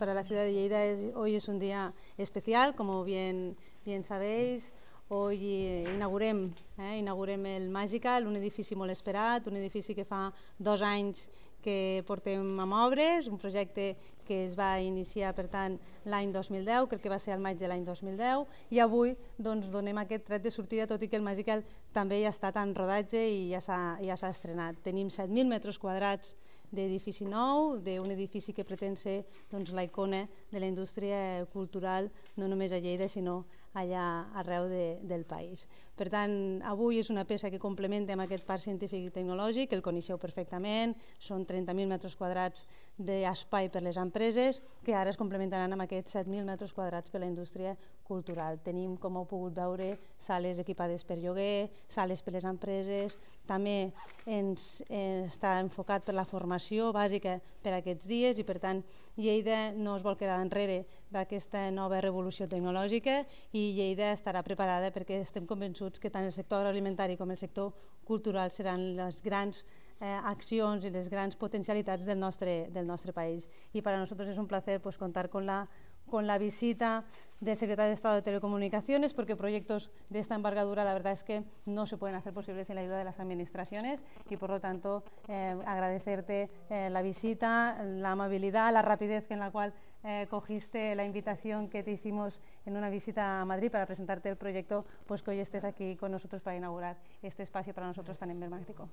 Para la ciudad de Lleida hoy es un día especial, como bien sabéis. Hoy inaugurem el Magical, un edifici molt esperat, un edifici que fa 2 anys que portem amb obres, un projecte que es va iniciar, per tant, l'any 2010, crec que va ser al maig de l'any 2010, i avui doncs, donem aquest tret de sortida, tot i que el Magical també ja ha estat en rodatge i ja s'ha estrenat. Tenim 7.000 metres quadrats d'edifici nou, d'un edifici que pretén ser doncs, la icona de la indústria cultural, no només a Lleida, sinó allà arreu del país. Per tant, avui és una peça que complementa amb aquest parc científic i tecnològic, que el coneixeu perfectament, són 30.000 metres quadrats d'espai per les empreses, que ara es complementaran amb aquests 7.000 metres quadrats per la indústria cultural. Tenim, com heu pogut veure, sales equipades per lloguer, sales per les empreses, també està enfocat per la formació bàsica per a aquests dies i, per tant, Lleida no es vol quedar enrere d'aquesta nova revolució tecnològica i Lleida estarà preparada perquè estem convençuts que tant el sector agroalimentari com el sector cultural seran les grans accions i les grans potencialitats del nostre país. Y para nosotros es un placer contar con la visita del secretario de Estado de Telecomunicaciones, porque proyectos de esta envergadura la verdad es que no se pueden hacer posibles sin la ayuda de las administraciones y por lo tanto agradecerte la visita, la amabilidad, la rapidez en la cual cogiste la invitación que te hicimos en una visita a Madrid para presentarte el proyecto, pues que hoy estés aquí con nosotros para inaugurar este espacio para nosotros tan emblemático.